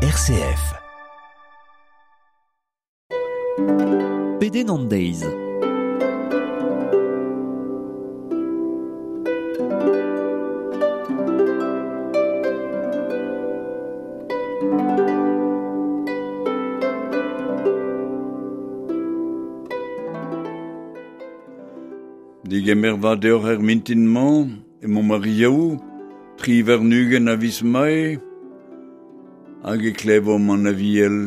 RCF. Pedenn an deiz. Digemer vat deoc'h er mintin-mañ, emañ ar Yaou, 23 a viz Mae, hag e klevomp an aviel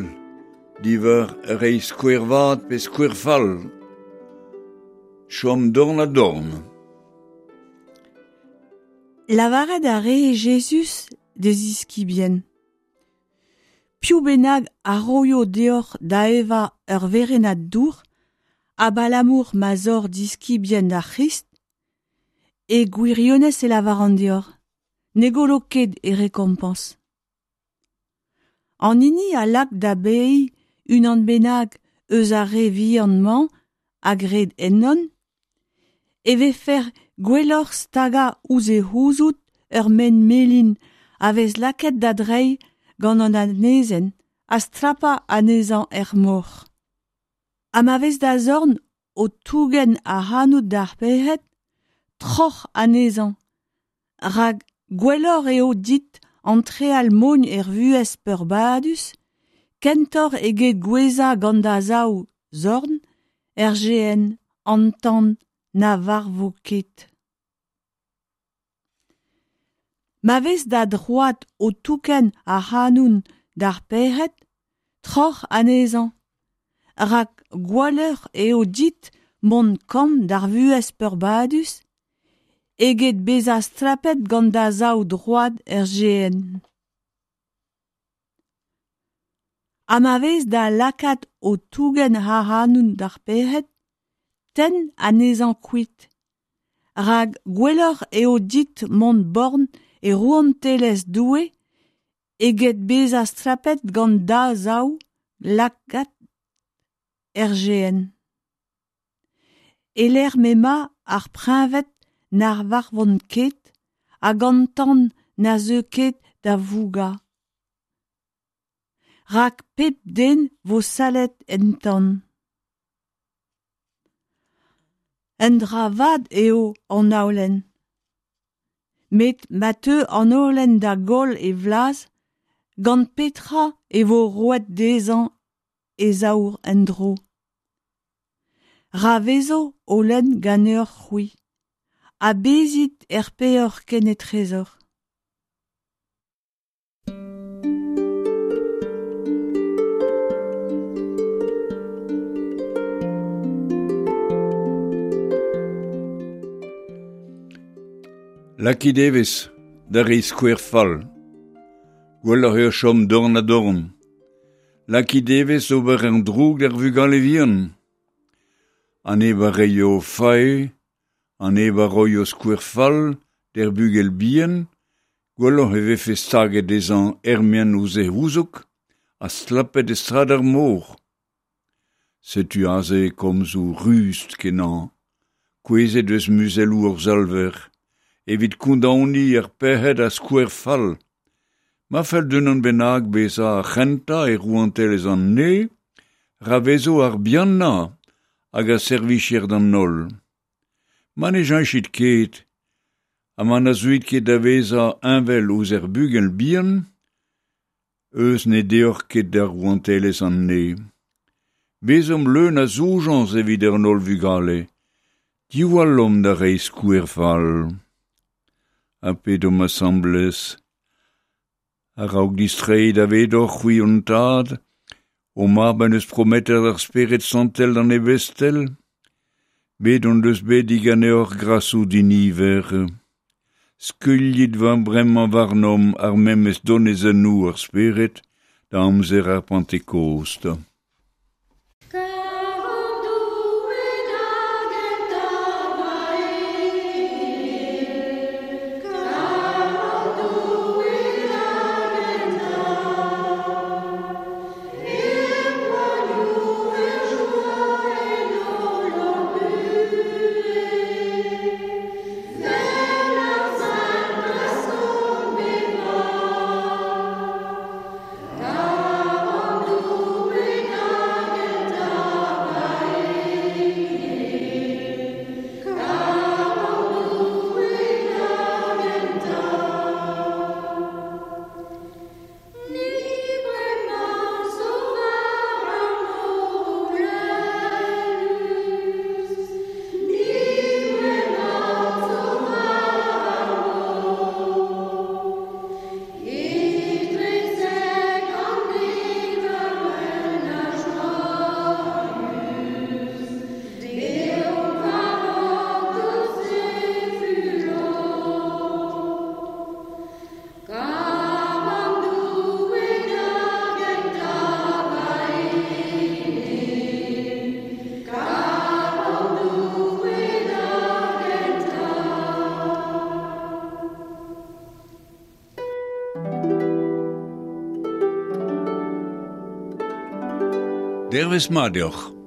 diwar reiñ skouer vat pe skouer fall. Chom dorn ha dorn. Lavaret a ree Jezuz d'e ziskibien. Piv bennak a roio deoc'h da evañ ur werennad dour, abalamour ma 'z oc'h diskibien d'ar C'hrist, e gwirionez e lavaran deoc'h, ne gollo ket e rekompañs. An hini a lak da baeiñ unan bennak eus ar re vihan-mañ a gred ennon, e vefe gwelloc'h stagañ ouzh e c'houzoug ur maen-melin a vez lakaet da dreiñ gant an anezenn ha skrapañ anezhañ er mor. Ha ma vez da zorn o tougen ac'hanout d'ar pec'hed, troc'h anezhañ, rak gwelloc'h eo dit antreal mogn er vuhez peurbadus kentoc'h eget gouezhañ gant da zaou zorn er gehenn an tan na varvo ket. Ma vez da droad o tougen ac'hanoun d'ar pec'hed, troc'h anezhañ, rak gwalleur eo dit mont kamm d'ar vuhez peurbadus eget bezañ stlapet gant da zaou droad er gehenn. Ha ma vez da lagad o tougen ac'hanoun d'ar pec'hed, tenn anezhañ kuit, rak gwelloc'h eo dit mont born e rouantelezh Doue eget bezañ stlapet gant da zaou lagad er gehenn. E-lec'h m'emañ ar preñved na varvont ket hag an tan na zeu ket da vougañ. Rak pep den 'vo sallet en tan. Un dra vat eo an holen. Met ma teu an holen da goll e vlaz, gant petra e vo roet dezhañ e saour en-dro? Ra vezo holen ganeoc'h-c'hwi, ha bezit er peoc'h kenetrezoc'h. Lakit evezh da reiñ skouer fall. Gwelloc'h eo chom dorn-ha-dorn. Lakit evezh ober an droug d'ar vugale vihan. An neb a reio fae, an neb a roio skouer fall d'ar bugel bihan, gwelloc'h e vefe staget dezhañ er-maen ouzh e c'houzoug ha stlapet e strad ar mor. Setu aze komzoù rust-kenañ, kouezhet eus muzelloù hor Salver, evit kondaoniñ ar pec'hed a skouer fall. Ma fell d'unan bennak bezañ ar c'hentañ e rouantelezh an Neñv, ra vezo ar bihanañ hag a servijer d'an holl. Ma ne cheñchit ket ha ma na zeuit ket da vezañ heñvel ouzh ar bugel bihan, eus ne deoc'h ket da rouantelezh an Neñv. Bezomp leun a zoujañs evit an holl vugale, diwallomp da reiñ skouer fall. Ha pedomp asambles. A-raok distreiñ davedoc'h c'hwi hon tad, ho mab en deus prometet ar Spered Santel d'an Ebestel, bet hon deus bet diganeoc'h grasoù diniver. Skuilhit war bremañ warnomp ar memes donezonoù ar Spered da amzer ar Pantekost. Dervezh mat deoc'h.